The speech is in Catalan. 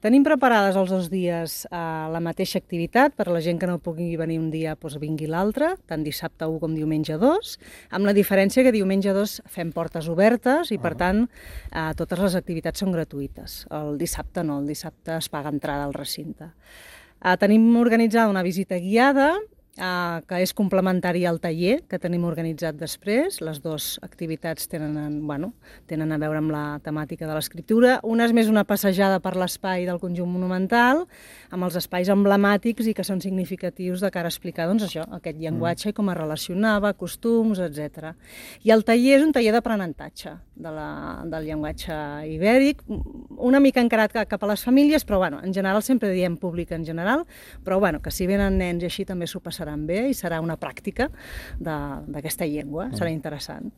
Tenim preparades els 2 dies la mateixa activitat, per a la gent que no pugui venir un dia, doncs vingui l'altre, tant dissabte 1 com diumenge 2, amb la diferència que diumenge 2 fem portes obertes i, per tant, totes les activitats són gratuïtes. El dissabte no, el dissabte es paga entrada al recinte. Tenim organitzada una visita guiada, que és complementari al taller que tenim organitzat després. Les dues activitats tenen a veure amb la temàtica de l'escriptura. Una és més una passejada per l'espai del conjunt monumental, amb els espais emblemàtics i que són significatius de cara a explicar aquest llenguatge i com es relacionava, costums, etc. I el taller és un taller d'aprenentatge del llenguatge ibèric, una mica encarat cap a les famílies, però en general sempre diem públic en general, però que si venen nens i així també s'ho passaran bé i serà una pràctica d'aquesta llengua, serà interessant.